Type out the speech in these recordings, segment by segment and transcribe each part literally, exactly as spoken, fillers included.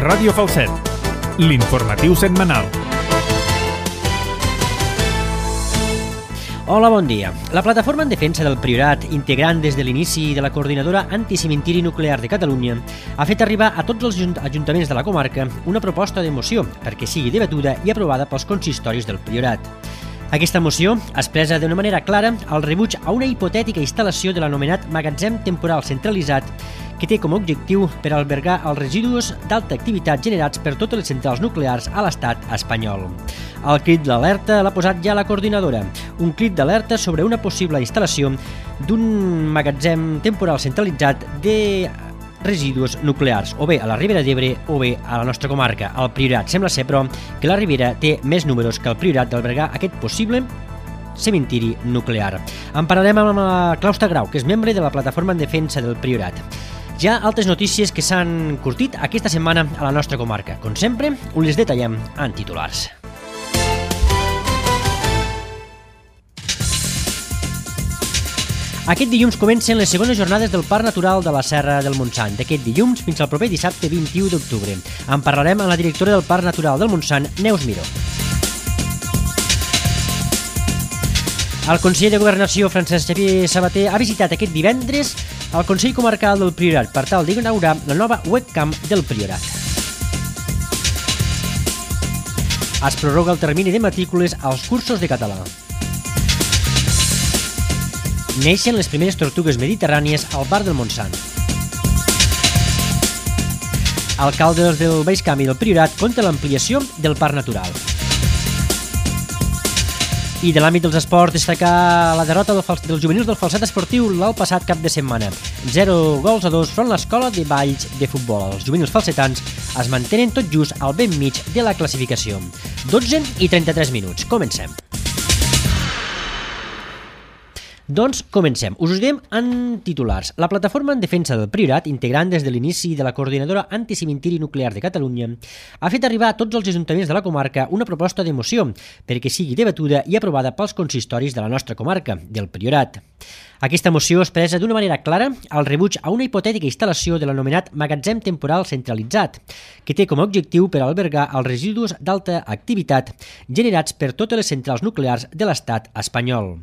Ràdio Falset, l'informatiu setmanal. Hola, bon dia. La Plataforma en Defensa del Priorat, integrant des de l'inici de la Coordinadora Anticimentiri Nuclear de Catalunya, ha fet arribar a tots els ajuntaments de la comarca una proposta de moció perquè sigui debatuda i aprovada pels consistoris del Priorat. Aquesta moció expressa d'una manera clara el rebuig a una hipotètica instal·lació de l'anomenat magatzem temporal centralitzat que té com a objectiu per albergar els residus d'alta activitat generats per totes les centrals nuclears a l'estat espanyol. El crit d'alerta l'ha posat ja la coordinadora, un crit d'alerta sobre una possible instal·lació d'un magatzem temporal centralitzat de residus nuclears, o bé a la Ribera d'Ebre o bé a la nostra comarca, al Priorat. Sembla ser, però, que la Ribera té més números que el Priorat d'albergar aquest possible cementiri nuclear. En parlarem amb la Claustra Grau, que és membre de la Plataforma en Defensa del Priorat. Hi ha altres notícies que s'han curtit aquesta setmana a la nostra comarca. Com sempre, us les detallem en titulars. Aquest dilluns comencen les segones jornades del Parc Natural de la Serra del Montsant, d'aquest dilluns fins al proper dissabte vint-i-u d'octubre. En parlarem amb la directora del Parc Natural del Montsant, Neus Miró. El conseller de Governació, Francesc Xavier Sabater, ha visitat aquest divendres el Consell Comarcal del Priorat per tal d'inaugurar la nova webcam del Priorat. Es prorroga el termini de matrícules als cursos de català. Neixen les primeres tortugues mediterrànies al Bar del Montsant. Alcaldes del Baix Camp i del Priorat contra l'ampliació del Parc Natural. I de l'àmbit dels esports, destacar la derrota del fals... dels juvenils del Falset Esportiu el passat cap de setmana. Zero gols a dos front l'escola de Valls de futbol. Els juvenils falsetans es mantenen tot just al ben mig de la classificació. dotze i trenta-tres minuts. Comencem. Doncs comencem. Us ho diem en titulars. La Plataforma en Defensa del Priorat, integrant des de l'inici de la Coordinadora Anticimentiri Nuclear de Catalunya, ha fet arribar a tots els ajuntaments de la comarca una proposta de moció perquè sigui debatuda i aprovada pels consistoris de la nostra comarca, del Priorat. Aquesta moció expressa d'una manera clara el rebuig a una hipotètica instal·lació de l'anomenat magatzem temporal centralitzat, que té com a objectiu per albergar els residus d'alta activitat generats per totes les centrals nuclears de l'estat espanyol.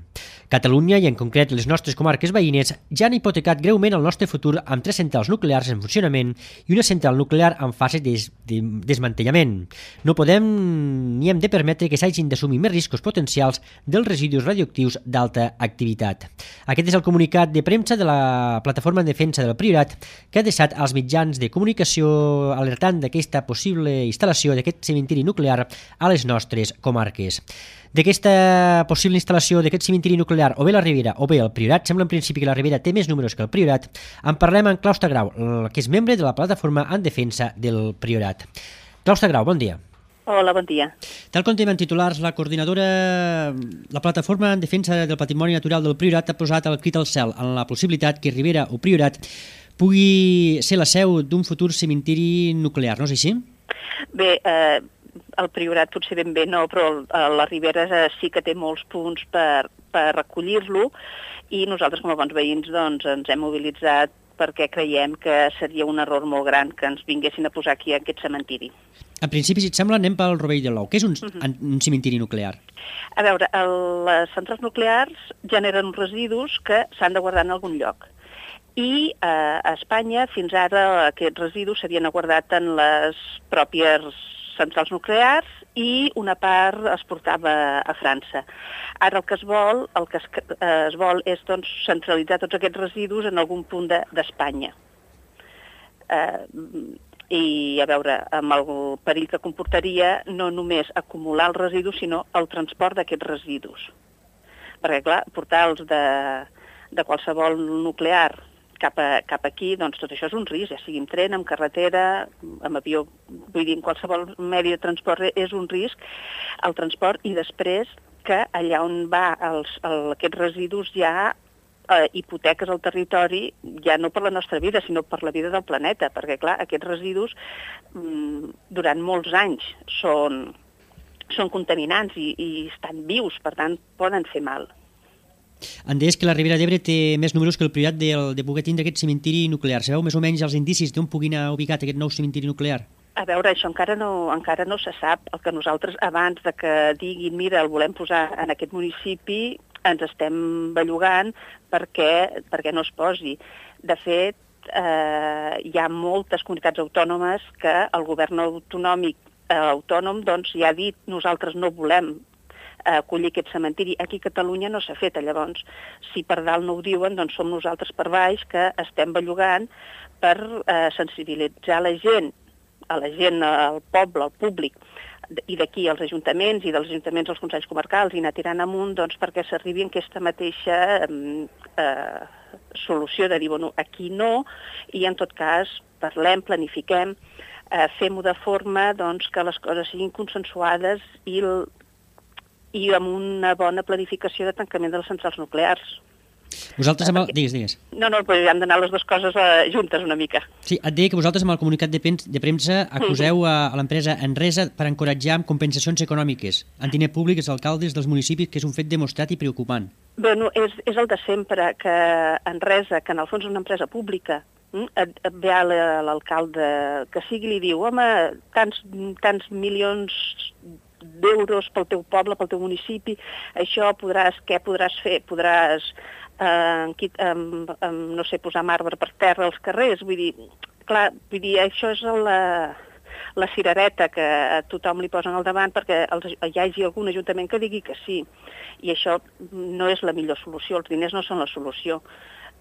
Catalunya, i en concret les nostres comarques veïnes, ja han hipotecat greument el nostre futur amb tres centrals nuclears en funcionament i una central nuclear en fase de, de desmantellament. No podem ni hem de permetre que s'hagin d'assumir més riscos potencials dels residus radioactius d'alta activitat. Aquest és el comunicat de premsa de la Plataforma en Defensa del Priorat, que ha deixat als mitjans de comunicació alertant d'aquesta possible instal·lació d'aquest cementiri nuclear a les nostres comarques. D'aquesta possible instal·lació d'aquest cementiri nuclear, o bé la Ribera o bé el Priorat, sembla en principi que la Ribera té més números que el Priorat, en parlem amb Claustra Grau, que és membre de la Plataforma en Defensa del Priorat. Claustra Grau, bon dia. Hola, bon dia. Tal com tenim en titulars, la coordinadora, la Plataforma en Defensa del Patrimoni Natural del Priorat ha posat el crit al cel en la possibilitat que Ribera o Priorat pugui ser la seu d'un futur cementiri nuclear, no és així? Bé, eh, el Priorat potser ben bé no, però la Ribera sí que té molts punts per, per recollir-lo i nosaltres com a bons veïns doncs, ens hem mobilitzat perquè creiem que seria un error molt gran que ens vinguessin a posar aquí aquest cementiri. En principi, si et sembla, anem pel rovell de l'ou. Què és un, uh-huh. un cementiri nuclear? A veure, el, les centrals nuclears generen residus que s'han de guardar en algun lloc. I eh, a Espanya, fins ara, aquests residus s'havien guardat en les pròpies centrals nuclears i una part es portava a França. Ara el que es vol, el que es, eh, es vol és doncs, centralitzar tots aquests residus en algun punt d'Espanya. De, eh, I, a veure, amb el perill que comportaria no només acumular els residus, sinó el transport d'aquests residus. Perquè, clar, portar-los de, de qualsevol nuclear cap, a, cap aquí, doncs tot això és un risc, ja sigui en tren, en carretera, amb avió, vull dir, en qualsevol medi de transport és un risc, el transport, i després que allà on va els, el, aquests residus ja eh, hipoteques al territori, ja no per la nostra vida, sinó per la vida del planeta, perquè, clar, aquests residus mm, durant molts anys són, són contaminants i, i estan vius, per tant, poden fer mal. Em deies que la Ribera d'Ebre té més números que el Priorat de, de poder tindre aquest cementiri nuclear. Sabeu més o menys els indicis d'on pugui anar ubicat aquest nou cementiri nuclear? A veure, això encara no, encara no se sap. El que nosaltres, abans de que diguin, mira, el volem posar en aquest municipi, ens estem bellugant perquè, perquè no es posi. De fet, eh, hi ha moltes comunitats autònomes que el govern autonòmic eh, autònom doncs, ja ha dit nosaltres no volem acollir aquest cementiri. Aquí a Catalunya no s'ha fet. Llavors, si per dalt no ho diuen, doncs som nosaltres per baix que estem bellugant per eh, sensibilitzar la gent, a la gent, al poble, al públic, i d'aquí als ajuntaments i dels ajuntaments als consells comarcals i anar tirant amunt doncs, perquè s'arribi a aquesta mateixa eh, solució de dir, bueno, aquí no, i en tot cas parlem, planifiquem, eh, fem-ho de forma doncs, que les coses siguin consensuades i, el, i amb una bona planificació de tancament de les centrals nuclears. Vosaltres amb el... Digues, digues. No, no, però hem d'anar les dues coses eh, juntes una mica. Sí, et deia que vosaltres amb el comunicat de, pen... de premsa acuseu a, a l'empresa Enresa per encoratjar amb compensacions econòmiques en diner públic als alcaldes dels municipis, que és un fet demostrat i preocupant. Bueno, és, és el de sempre, que Enresa, que en el fons és una empresa pública, et, et ve l'alcalde que sigui i li diu, home, tants, tants milions d'euros pel teu poble, pel teu municipi, això podràs, què podràs fer? Podràs... Uh, um, um, no sé, posar marbre per terra als carrers, vull dir, clar, vull dir, això és la, la cirereta que a tothom li posen al davant perquè els, hi hagi algun ajuntament que digui que sí, i això no és la millor solució, els diners no són la solució,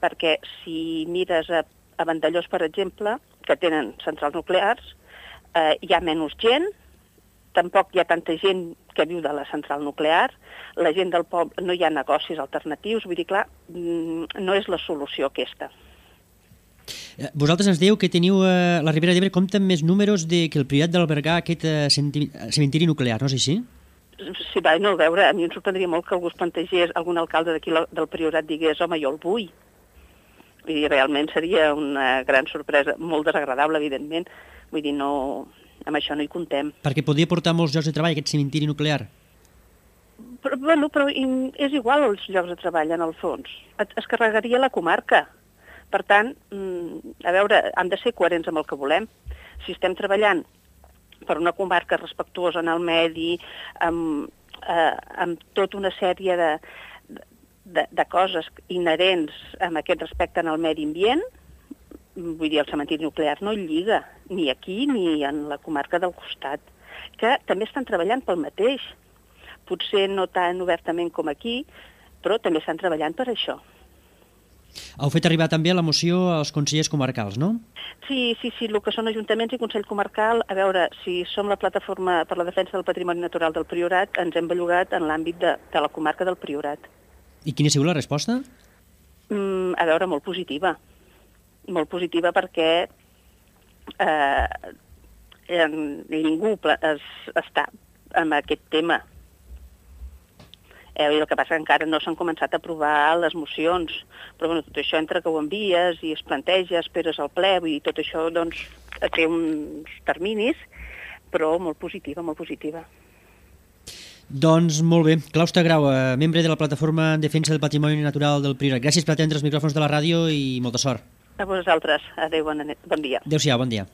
perquè si mires a, a Vandellós, per exemple, que tenen centrals nuclears, eh, hi ha menys gent, tampoc hi ha tanta gent que viu de la central nuclear, la gent del poble, no hi ha negocis alternatius, vull dir, clar, no és la solució aquesta. Vosaltres ens dieu que teniu, eh, la Ribera d'Ebre compta amb més números de, que el Priorat d'albergar aquest eh, cementiri nuclear, no és així? Sí, va, no, a veure, a mi em sorprendria molt que algú es plantegés, algun alcalde d'aquí del Priorat digués, home, jo el vull. Vull dir, realment seria una gran sorpresa, molt desagradable, evidentment, vull dir, no... amb això no hi contem. Perquè podria portar molts llocs de treball, aquest cementiri nuclear? Però, bueno, però és igual els llocs de treball, en el fons. Es carregaria la comarca. Per tant, a veure, hem de ser coherents amb el que volem. Si estem treballant per una comarca respectuosa en el medi, amb, eh, amb tota una sèrie de, de, de coses inherents amb aquest respecte en el medi ambient, vull dir, el cementiri nuclear no lliga, ni aquí ni en la comarca del costat, que també estan treballant pel mateix. Potser no tan obertament com aquí, però també estan treballant per això. Heu fet arribar també la moció als consellers comarcals, no? Sí, sí, sí, el que són ajuntaments i Consell Comarcal, a veure, si som la plataforma per la defensa del patrimoni natural del Priorat, ens hem bellugat en l'àmbit de, de la comarca del Priorat. I quina ha sigut la resposta? Mm, a veure, molt positiva. Molt positiva perquè eh, ningú es, està amb aquest tema. Eh, el que passa que encara no s'han començat a aprovar les mocions, però bueno, tot això entre que ho envies i es planteja, esperes al ple, vull dir, tot això doncs, té uns terminis, però molt positiva, molt positiva. Doncs molt bé. Claus Tagrau, membre de la Plataforma en Defensa del Patrimoni Natural del Priorat. Gràcies per atendre els micròfons de la ràdio i molta sort. A vosaltres. Adéu, bon, bon dia. Adéu-siau, bon dia.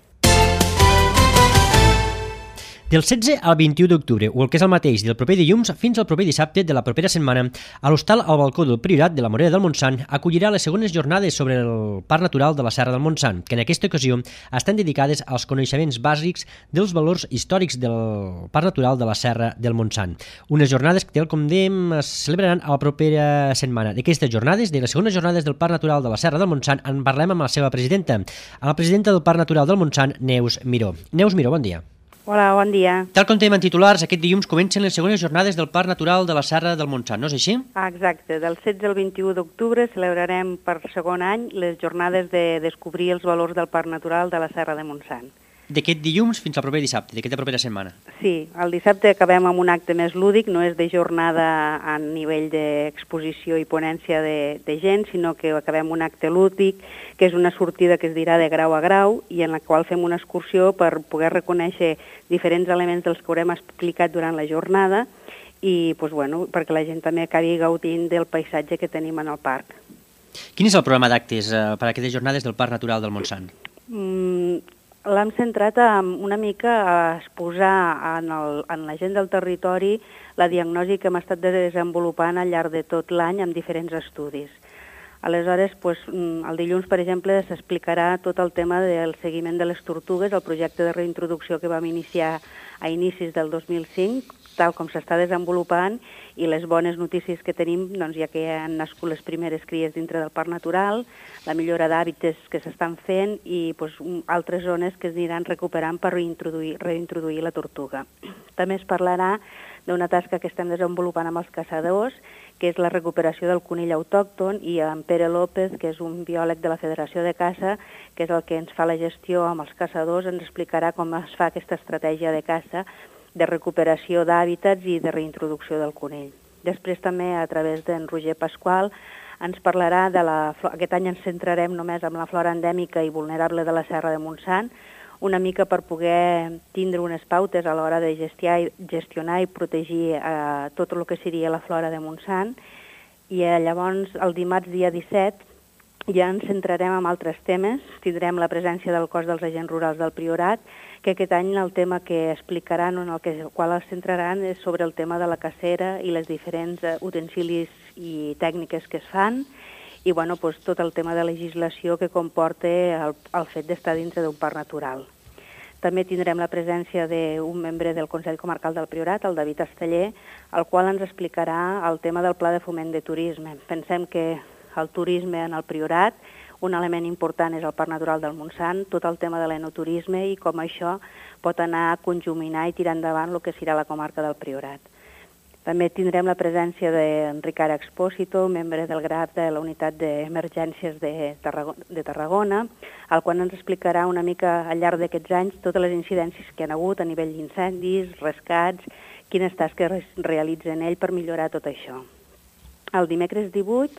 Del setze al vint-i-u d'octubre, o el que és el mateix, del proper dilluns fins al proper dissabte de la propera setmana, a l'hostal al balcó del Priorat de la Morera del Montsant acollirà les segones jornades sobre el Parc Natural de la Serra del Montsant, que en aquesta ocasió estan dedicades als coneixements bàsics dels valors històrics del Parc Natural de la Serra del Montsant. Unes jornades que, tal com dèiem, es celebraran a la propera setmana. D'aquestes jornades, de les segones jornades del Parc Natural de la Serra del Montsant, en parlem amb la seva presidenta, amb la presidenta del Parc Natural del Montsant, Neus Miró. Neus Miró, bon dia. Hola, bon dia. Tal com tenim en titulars, aquest dilluns comencen les segones jornades del Parc Natural de la Serra del Montsant, no és així? Ah, exacte. Del setze al vint-i-u d'octubre celebrarem per segon any les jornades de descobrir els valors del Parc Natural de la Serra de Montsant. D'aquest dilluns fins al proper dissabte, d'aquesta propera setmana. Sí, el dissabte acabem amb un acte més lúdic, no és de jornada a nivell d'exposició i ponència de, de gent, sinó que acabem un acte lúdic, que és una sortida que es dirà de grau a grau i en la qual fem una excursió per poder reconèixer diferents elements dels que haurem explicat durant la jornada i doncs, bueno, perquè la gent també acabi gaudint del paisatge que tenim en el parc. Quin és el programa d'actes eh, per a aquestes jornades del Parc Natural del Montsant? Mm, l'hem centrat en una mica a exposar en, el, en la gent del territori la diagnosi que hem estat desenvolupant al llarg de tot l'any amb diferents estudis. Aleshores, doncs, el dilluns, per exemple, s'explicarà tot el tema del seguiment de les tortugues, el projecte de reintroducció que vam iniciar a inicis del dos mil cinc, tal com s'està desenvolupant, i les bones notícies que tenim, doncs, ja que han nascut les primeres cries dintre del Parc Natural, la millora d'hàbitats que s'estan fent i doncs, altres zones que es aniran recuperant per reintroduir, reintroduir la tortuga. També es parlarà d'una tasca que estem desenvolupant amb els caçadors, que és la recuperació del conill autòcton, i en Pere López, que és un biòleg de la Federació de Caça, que és el que ens fa la gestió amb els caçadors, ens explicarà com es fa aquesta estratègia de caça, de recuperació d'hàbitats i de reintroducció del conill. Després també, a través d'en Roger Pasqual, ens parlarà de la... Aquest any ens centrarem només en la flora endèmica i vulnerable de la Serra de Montsant, una mica per poder tindre unes pautes a l'hora de gestionar i protegir eh, tot el que seria la flora de Montsant. I eh, llavors, el dimarts dia disset, ja ens centrarem en altres temes. Tindrem la presència del cos dels agents rurals del Priorat, que aquest any el tema que explicaran, en el que, qual es centraran, és sobre el tema de la cacera i les diferents eh, utensilis i tècniques que es fan, i bueno, doncs, tot el tema de legislació que comporta el, el fet d'estar dintre d'un parc natural. També tindrem la presència d'un membre del Consell Comarcal del Priorat, el David Esteller, el qual ens explicarà el tema del Pla de Foment de Turisme. Pensem que el turisme en el Priorat, un element important és el Parc Natural del Montsant, tot el tema de l'enoturisme i com això pot anar a conjuminar i tirar endavant el que serà la comarca del Priorat. També tindrem la presència d'en Ricard Expósito, membre del G R A P de la Unitat d'Emergències de Tarragona, el qual ens explicarà una mica al llarg d'aquests anys totes les incidències que han hagut a nivell d'incendis, rescats, quines tasques realitzen ell per millorar tot això. El dimecres divuit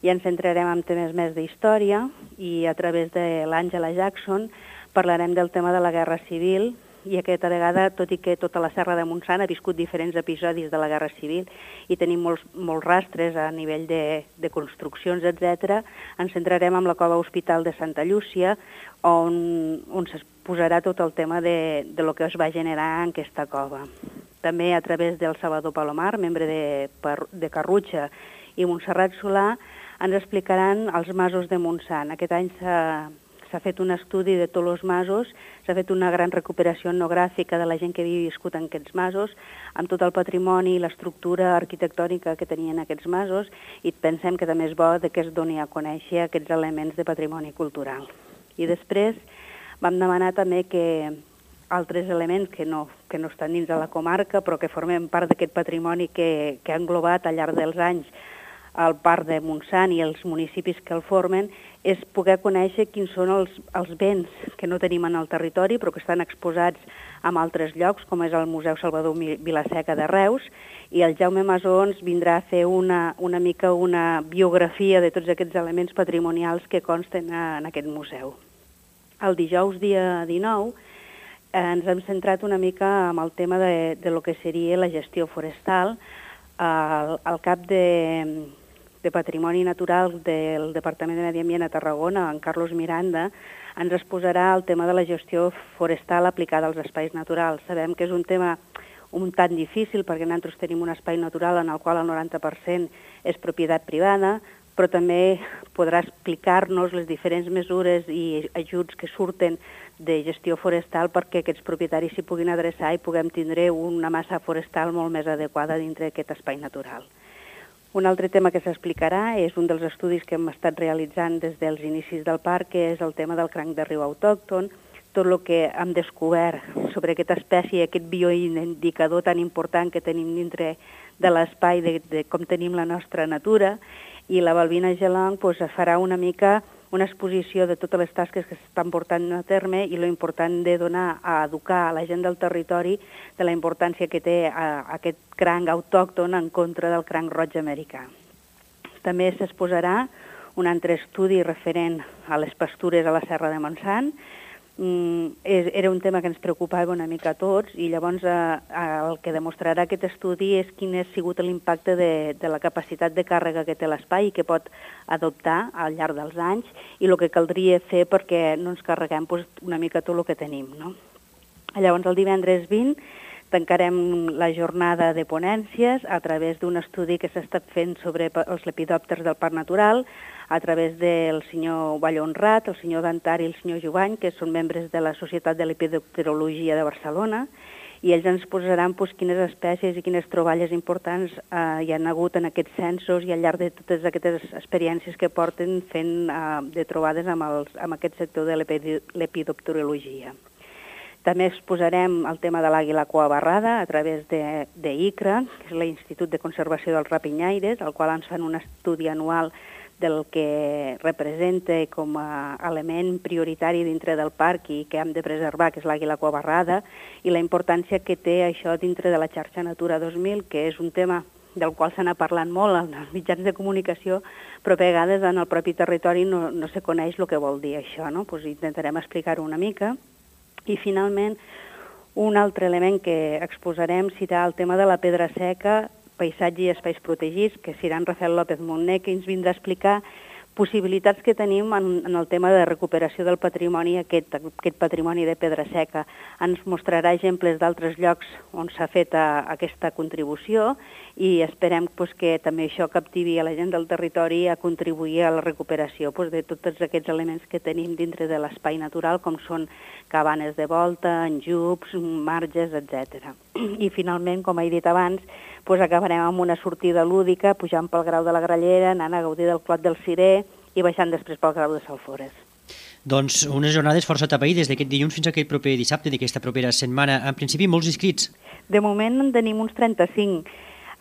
ja ens centrarem en temes més d'història i a través de l'Àngela Jackson parlarem del tema de la Guerra Civil, i aquesta vegada, tot i que tota la Serra de Montsant ha viscut diferents episodis de la Guerra Civil i tenim molts, molts rastres a nivell de, de construccions, etcètera, ens centrarem en la cova Hospital de Santa Llúcia, on, on s'exposarà tot el tema de, de lo que es va generar en aquesta cova. També a través del Salvador Palomar, membre de, de Carrutxa, i Montserrat Solà, ens explicaran els masos de Montsant. Aquest any s'ha S'ha fet un estudi de tots els masos, s'ha fet una gran recuperació etnogràfica de la gent que havia viscut en aquests masos, amb tot el patrimoni i l'estructura arquitectònica que tenien aquests masos, i pensem que també és bo que es doni a conèixer aquests elements de patrimoni cultural. I després vam demanar també que altres elements que no, que no estan dins de la comarca, però que formen part d'aquest patrimoni que, que ha englobat al llarg dels anys el Parc de Montsant i els municipis que el formen, és poder conèixer quins són els, els béns que no tenim en el territori però que estan exposats en altres llocs, com és el Museu Salvador Vilaseca de Reus, i el Jaume Masó ens vindrà a fer una, una mica una biografia de tots aquests elements patrimonials que consten en aquest museu. El dijous, dia dinou, eh, ens hem centrat una mica en el tema de, de lo que seria la gestió forestal. El, el cap de... de Patrimoni Natural del Departament de Medi Ambient a Tarragona, en Carlos Miranda, ens exposarà el tema de la gestió forestal aplicada als espais naturals. Sabem que és un tema un tant difícil perquè nosaltres tenim un espai natural en el qual el noranta per cent és propietat privada, però també podrà explicar-nos les diferents mesures i ajuts que surten de gestió forestal perquè aquests propietaris s'hi puguin adreçar i puguem tindre una massa forestal molt més adequada dintre d'aquest espai natural. Un altre tema que s'explicarà és un dels estudis que hem estat realitzant des dels inicis del parc, que és el tema del cranc de riu autòcton, tot el que hem descobert sobre aquesta espècie, aquest bioindicador tan important que tenim dintre de l'espai de, de com tenim la nostra natura, i la Balbina Gelong pues, farà una mica una exposició de totes les tasques que s'estan portant a terme i lo important de donar a educar a la gent del territori de la importància que té a, a aquest cranc autòcton en contra del cranc roig americà. També s'exposarà un altre estudi referent a les pastures a la Serra de Montsant. era un tema que ens preocupava una mica a tots i llavors el que demostrarà aquest estudi és quin ha sigut l'impacte de, de la capacitat de càrrega que té l'espai i que pot adoptar al llarg dels anys i el que caldria fer perquè no ens carreguem doncs, una mica tot el que tenim. No? Llavors el divendres vint tancarem la jornada de ponències a través d'un estudi que s'ha estat fent sobre els lepidòpters del Parc Natural a través del senyor Vallhonrat, el senyor Dantari i el senyor Jovany, que són membres de la Societat de Lepidopterologia de Barcelona, i ells ens posaran doncs, quines espècies i quines troballes importants eh, hi han hagut en aquests censos i al llarg de totes aquestes experiències que porten fent eh, de trobades amb, els, amb aquest sector de lepidopterologia. També exposarem el tema de l'àguila cua barrada a través de, de I C R A, que és l'Institut de Conservació dels Rapinyaires, al qual ens fan un estudi anual del que representa com a element prioritari dintre del parc i que hem de preservar, que és l'àguila cua barrada, i la importància que té això dintre de la xarxa Natura dos mil, que és un tema del qual se n'ha parlat molt en els mitjans de comunicació, però a vegades en el propi territori no, no se coneix el que vol dir això, no? Pues intentarem explicar-ho una mica. I finalment, un altre element que exposarem serà el tema de la pedra seca, paisatge i espais protegits, que serà en Rafael López Montner, que ens vindrà a explicar possibilitats que tenim en, en el tema de recuperació del patrimoni, aquest, aquest patrimoni de pedra seca. Ens mostrarà exemples d'altres llocs on s'ha fet a, a aquesta contribució i esperem pues, que també això captivi a la gent del territori a contribuir a la recuperació pues, de tots aquests elements que tenim dintre de l'espai natural, com són cabanes de volta, enjups, marges, etcètera. I finalment, com he dit abans, pues, acabarem amb una sortida lúdica, pujant pel Grau de la Grallera, anant a gaudir del Clot del Cirer i baixant després pel Grau de Salfores. Doncs unes jornades força tapaïdes d'aquest dilluns fins a aquest proper dissabte d'aquesta propera setmana. En principi, molts inscrits. De moment en tenim uns trenta-cinc.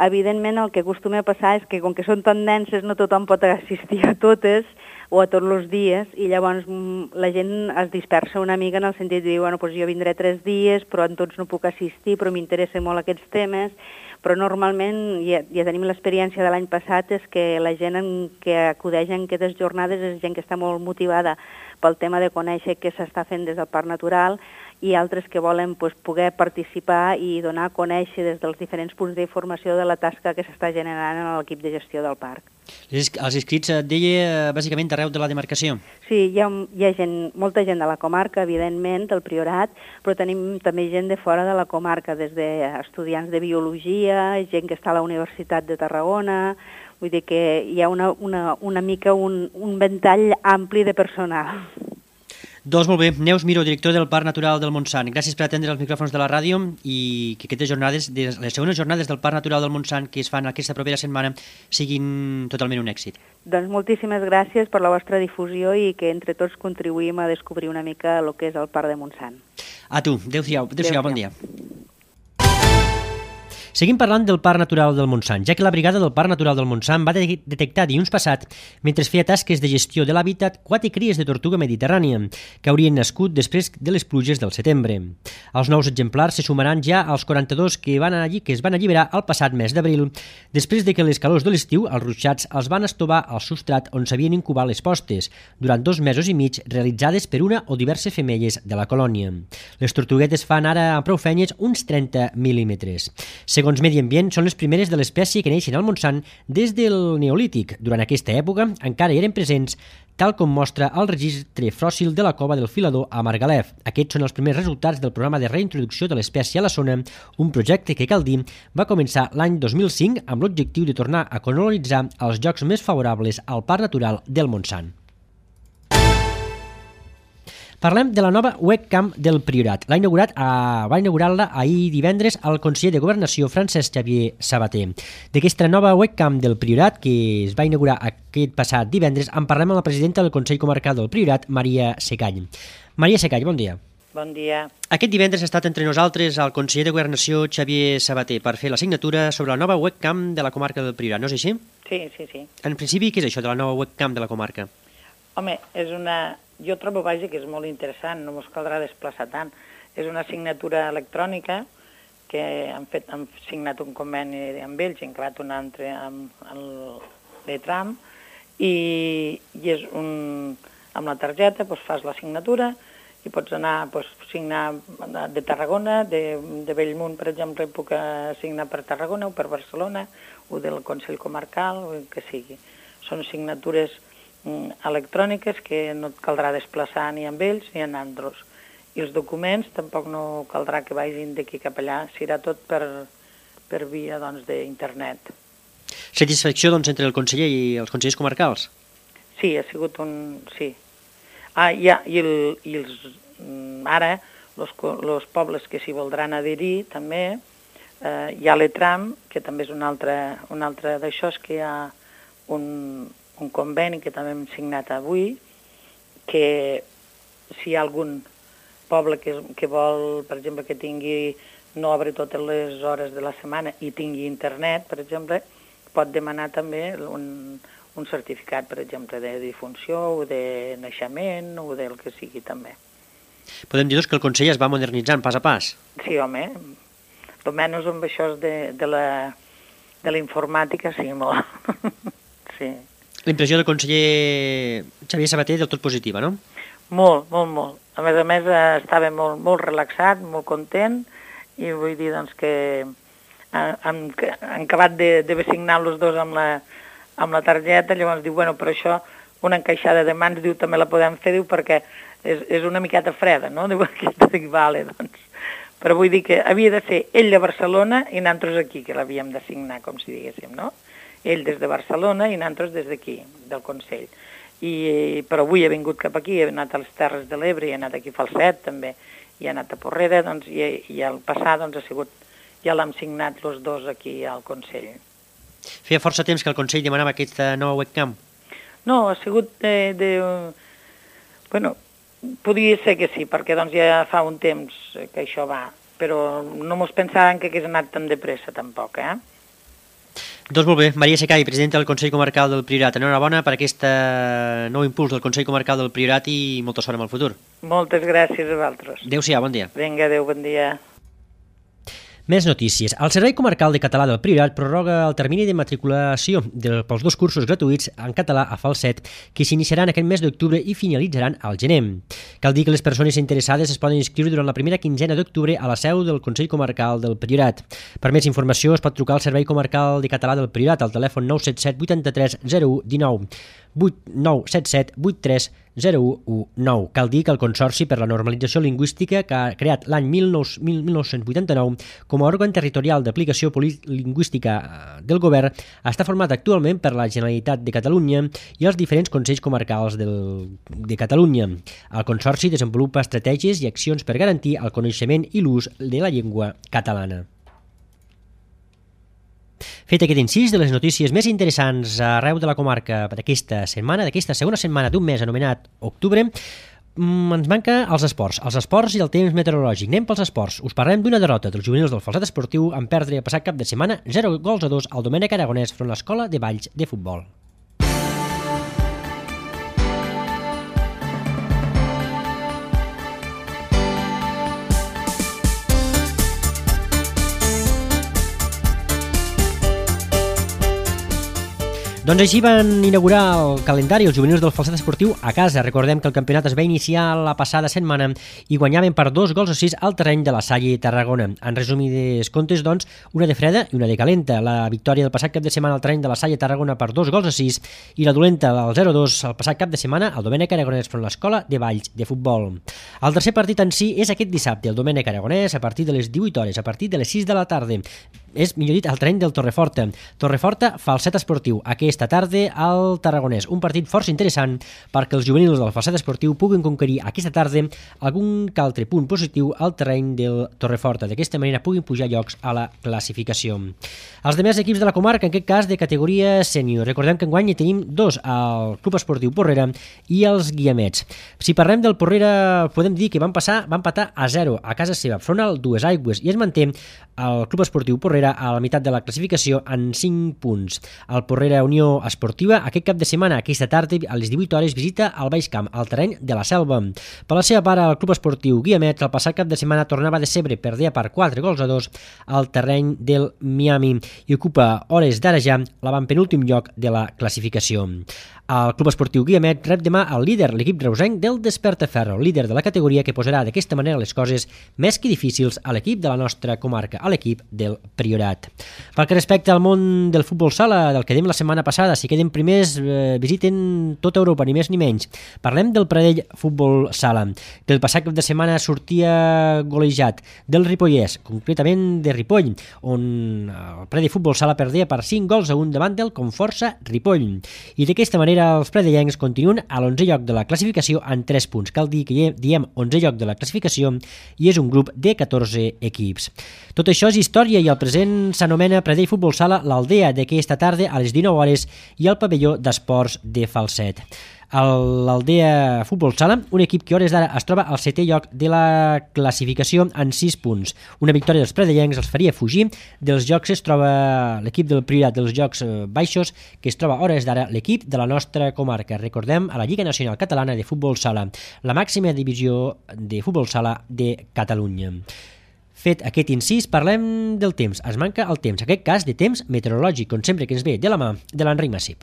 Evidentment, el que acostuma a passar és que, com que són tan denses, no tothom pot assistir a totes o a tots els dies, i llavors la gent es dispersa una mica en el sentit de dir, bueno, doncs jo vindré tres dies, però en tots no puc assistir, però m'interessen molt aquests temes, però normalment, ja, ja tenim l'experiència de l'any passat, és que la gent en que acudeix en aquestes jornades és gent que està molt motivada pel tema de conèixer què s'està fent des del Parc Natural i altres que volen pues, poder participar i donar a conèixer des dels diferents punts d'informació de la tasca que s'està generant en l'equip de gestió del parc. Els inscrits, et deia, bàsicament d'arreu de la demarcació? Sí, hi ha, hi ha gent, molta gent de la comarca, evidentment, del Priorat, però tenim també gent de fora de la comarca, des d'estudiants de biologia, gent que està a la Universitat de Tarragona, vull dir que hi ha una, una, una mica un, un ventall ampli de personal. Doncs molt bé, Neus Miró, director del Parc Natural del Montsant. Gràcies per atendre els micròfons de la ràdio i que aquestes jornades, les segones jornades del Parc Natural del Montsant que es fan aquesta propera setmana siguin totalment un èxit. Doncs moltíssimes gràcies per la vostra difusió i que entre tots contribuïm a descobrir una mica el que és el Parc de Montsant. A tu, adéu-siau, adéu-siau, bon dia. Seguim parlant del Parc Natural del Montsant, ja que la brigada del Parc Natural del Montsant va de detectar dilluns passat, mentre feia tasques de gestió de l'hàbitat, quatre cries de tortuga mediterrània, que haurien nascut després de les pluges del setembre. Els nous exemplars se sumaran ja als quaranta-dos que, van allí, que es van alliberar el passat mes d'abril, després de que les calors de l'estiu, els ruixats, els van estovar al substrat on s'havien incubat les postes, durant dos mesos i mig realitzades per una o diverses femelles de la colònia. Les tortuguetes fan ara a prou feines uns trenta mil·límetres. Segons Medi Ambient, són les primeres de l'espècie que neixen al Montsant des del Neolític. Durant aquesta època encara eren presents, tal com mostra el registre fòssil de la cova del Filador a Margalef. Aquests són els primers resultats del programa de reintroducció de l'espècie a la zona, un projecte que, cal dir, va començar l'any dos mil cinc amb l'objectiu de tornar a colonitzar els llocs més favorables al Parc Natural del Montsant. Parlem de la nova webcam del Priorat. L'ha inaugurat, a, va inaugurar-la ahir divendres el conseller de Governació, Francesc Xavier Sabater. D'aquesta nova webcam del Priorat, que es va inaugurar aquest passat divendres, en parlem amb la presidenta del Consell Comarcal del Priorat, Maria Secall. Maria Secall, bon dia. Bon dia. Aquest divendres ha estat entre nosaltres el conseller de Governació, Xavier Sabater, per fer la signatura sobre la nova webcam de la comarca del Priorat, no és així? Sí, sí, sí. En principi, què és això de la nova webcam de la comarca? Home, és una... Jo trobo, vaja, que és molt interessant, no ens caldrà desplaçar tant. És una signatura electrònica que han, fet, han signat un conveni amb ells, han creat un altre amb l'Etram, i, i és un, amb la targeta doncs fas la signatura i pots anar, doncs, signar de Tarragona, de, de Bellmunt, per exemple, puc signar per Tarragona o per Barcelona, o del Consell Comarcal, o el que sigui. Són signatures mm, electròniques que no et caldrà desplaçar ni amb ells ni amb altres. I els documents tampoc no caldrà que vagin d'aquí cap allà, serà tot per, per via doncs, d'internet. Satisfacció doncs, entre el conseller i els consellers comarcals? Sí, ha sigut un... sí. Ah, ja, i, el, i els, ara, els pobles que s'hi voldran adherir també, eh, hi ha l'ETRAM, que també és un altre, un altre d'això, és que hi ha un, un conveni que també hem signat avui, que si hi ha algun poble que, que vol, per exemple, que tingui, no obre totes les hores de la setmana i tingui internet, per exemple, pot demanar també un, un certificat, per exemple, de difunció o de naixement o del que sigui també. Podem dir doncs, que el Consell es va modernitzant pas a pas? Sí, home, almenys amb això de, de la, de la informàtica, sí, molt. Sí. L'impressió del conseller Xavier Sabater del tot positiva, no? Molt, molt, molt. A més a més, estava molt, molt relaxat, molt content, i vull dir doncs, que han, han acabat d'haver signat els dos amb la, amb la targeta, llavors diu, bueno, però això, una encaixada de mans, diu, també la podem fer, diu, perquè és, és una miqueta freda, no? Diu, aquesta, dic, vale, doncs. Però vull dir que havia de ser ell de Barcelona i nosaltres aquí, que l'havíem de signar, com si diguéssim, no? Ell des de Barcelona i nosaltres des d'aquí, del Consell. I, però avui he vingut cap aquí, he anat a les Terres de l'Ebre, he anat aquí a Falset també, i he anat a Porrera, doncs, i, i al passar doncs, ha sigut, ja l'hem signat els dos aquí al Consell. Feia força temps que el Consell demanava aquesta nova webcam? No, ha sigut de... de bueno, podria ser que sí, perquè doncs, ja fa un temps que això va, però no mos pensàvem que hagués anat tan de pressa tampoc, eh? Doncs molt bé, Maria Secai, presidenta del Consell Comarcal del Priorat. Enhorabona per aquest nou impuls del Consell Comarcal del Priorat i molta sort en el futur. Moltes gràcies a vosaltres. Adéu-siau, bon dia. Vinga, adéu, bon dia. Més notícies. El Servei Comarcal de Català del Priorat prorroga el termini de matriculació de, pels dos cursos gratuïts en català a Falset que s'iniciaran aquest mes d'octubre i finalitzaran al gener. Cal dir que les persones interessades es poden inscriure durant la primera quinzena d'octubre a la seu del Consell Comarcal del Priorat. Per més informació es pot trucar al Servei Comarcal de Català del Priorat al telèfon nou set set vuitanta-tres zero u dinou, nou set set vuit tres zero u nou. Cal dir que el Consorci per la Normalització Lingüística, que ha creat l'any mil nou-cents vuitanta-nou com a òrgan territorial d'aplicació lingüística del govern, està format actualment per la Generalitat de Catalunya i els diferents Consells Comarcals del, de Catalunya. El Consorci desenvolupa estratègies i accions per garantir el coneixement i l'ús de la llengua catalana. Fet aquest incís de les notícies més interessants arreu de la comarca d'aquesta setmana, d'aquesta segona setmana d'un mes anomenat octubre, ens manca els esports, els esports i el temps meteorològic. Anem pels esports. Us parlem d'una derrota dels juvenils del Falset Esportiu en perdre el passat cap de setmana zero gols a dos al Domènec Aragonès front a l'Escola de Valls de Futbol. Doncs així van inaugurar el calendari els juvenils del Falset Esportiu a casa. Recordem que el campionat es va iniciar la passada setmana i guanyaven per dos gols a sis al terreny de la Salle Tarragona. En resumides comptes, doncs, una de freda i una de calenta. La victòria del passat cap de setmana al terreny de la Salle Tarragona per dos gols a sis i la dolenta del zero a dos el passat cap de setmana al Domènec Aragonès front a l'Escola de Valls de Futbol. El tercer partit en si és aquest dissabte, el Domènec Aragonès, a partir de les divuit hores, a partir de les sis de la tarda. És, millor dit, al terreny del Torreforta. Torreforta, Falset Esportiu, aquesta tarda al Tarragonès. Un partit força interessant perquè els juvenils del Falset Esportiu puguen conquerir aquesta tarda algun que altre punt positiu al terreny del Torreforta. D'aquesta manera puguin pujar llocs a la classificació. Els demés equips de la comarca, en aquest cas de categoria sènior. Recordem que enguany hi tenim dos, el Club Esportiu Porrera i els Guiamets. Si parlem del Porrera, podem dir que van passar, van empatar a zero a casa seva, front al Dues Aigües, i es manté el Club Esportiu Porrera Porrera a la meitat de la classificació amb cinc punts. El Porrera Unió Esportiva aquest cap de setmana, aquesta tarda, a les divuit hores, visita el Baix Camp, al terreny de la Selva. Per la seva part, el Club Esportiu Guiamets el passat cap de setmana tornava a decebre, perdia per quatre gols a dos al terreny del Miami i ocupa hores d'ara ja l'avantpenúltim lloc de la classificació. El Club Esportiu Guiamets rep demà el líder, l'equip reusenc del Despertaferro, líder de la categoria, que posarà d'aquesta manera les coses més que difícils a l'equip de la nostra comarca, a l'equip del Priorat. Pel que respecta al món del futbol sala, del que dèiem la setmana passada, si queden primers, eh, visiten tota Europa, ni més ni menys. Parlem del Pradell Futbol Sala, que el passat cap de setmana sortia golejat del Ripollès, concretament de Ripoll, on el Pradell Futbol Sala perdia per cinc gols a un davant del Conforça Ripoll. I d'aquesta manera els predellencs continuen a l'onzè lloc de la classificació amb tres punts. Cal dir que diem onzè lloc de la classificació i és un grup de catorze equips. Tot això és història i el present s'anomena Pradell Futbol Sala l'Aldea, d'aquesta tarda a les dinou hores i al pavelló d'esports de Falset. L'Aldea Futbol Sala, un equip que hores d'ara es troba al setè lloc de la classificació en sis punts. Una victòria dels predellencs els faria fugir dels jocs. Es troba l'equip del Priorat dels Jocs Baixos, que es troba hores d'ara l'equip de la nostra comarca. Recordem, a la Lliga Nacional Catalana de Futbol Sala, la màxima divisió de futbol sala de Catalunya. Fet aquest incís, parlem del temps. Es manca el temps, en aquest cas de temps meteorològic, com sempre que ens ve de la mà de l'Enric Massip.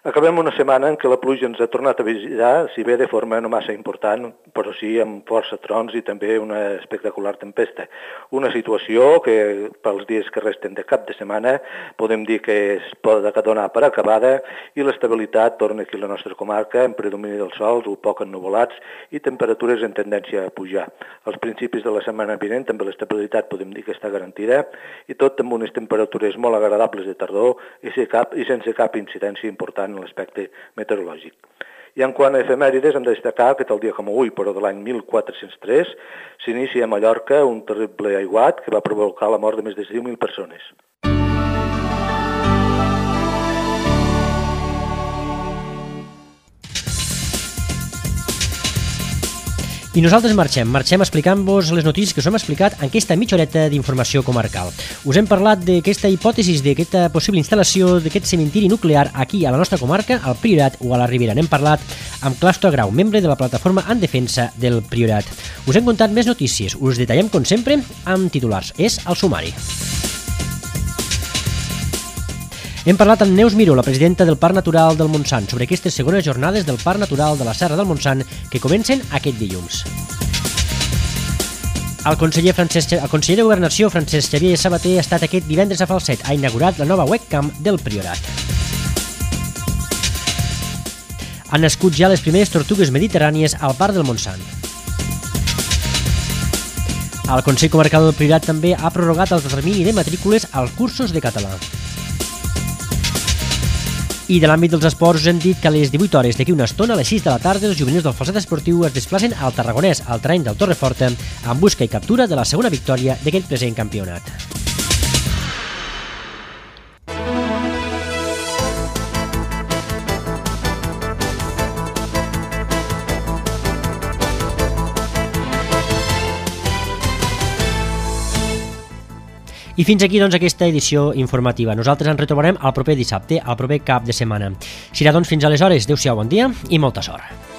Acabem una setmana en què la pluja ens ha tornat a visitar, si bé de forma no massa important, però sí amb força trons i també una espectacular tempesta. Una situació que pels dies que resten de cap de setmana podem dir que es pot donar per acabada i l'estabilitat torna aquí a la nostra comarca en predomini del sol, un poc ennuvolats i temperatures en tendència a pujar. Als principis de la setmana vinent també l'estabilitat podem dir que està garantida i tot amb unes temperatures molt agradables de tardor i sense cap incidència important en l'aspecte meteorològic. I en quant a efemèrides, hem de destacar que tal dia com avui, però de l'any mil quatre-cents tres, s'inicia a Mallorca un terrible aiguat que va provocar la mort de més de deu mil persones. I nosaltres marxem, marxem explicant-vos les notícies que us hem explicat en aquesta mitja horeta d'informació comarcal. Us hem parlat d'aquesta hipòtesi, d'aquesta possible instal·lació d'aquest cementiri nuclear aquí a la nostra comarca, al Priorat o a la Ribera. N'hem parlat amb Claustre Grau, membre de la plataforma en defensa del Priorat. Us hem contat més notícies, us detallem com sempre amb titulars. És el sumari. Hem parlat amb Neus Miró, la presidenta del Parc Natural del Montsant, sobre aquestes segones jornades del Parc Natural de la Serra del Montsant que comencen aquest dilluns. El conseller, Francesc, el conseller de Governació, Francesc Xavier Sabater, ha estat aquest divendres a Falset. Ha inaugurat la nova webcam del Priorat. Han nascut ja les primeres tortugues mediterrànies al Parc del Montsant. El Consell Comarcal del Priorat també ha prorrogat el termini de matrícules als cursos de català. I de l'àmbit dels esports us hem dit que a les divuit hores d'aquí una estona, a les sis de la tarda, els juvenils del Falset Esportiu es desplacen al Tarragonès, al terreny del Torreforta, en busca i captura de la segona victòria d'aquest present campionat. I fins aquí, doncs, aquesta edició informativa. Nosaltres ens retrobarem el proper dissabte, el proper cap de setmana. Serà, doncs, fins aleshores. Adéu-siau, bon dia i molta sort.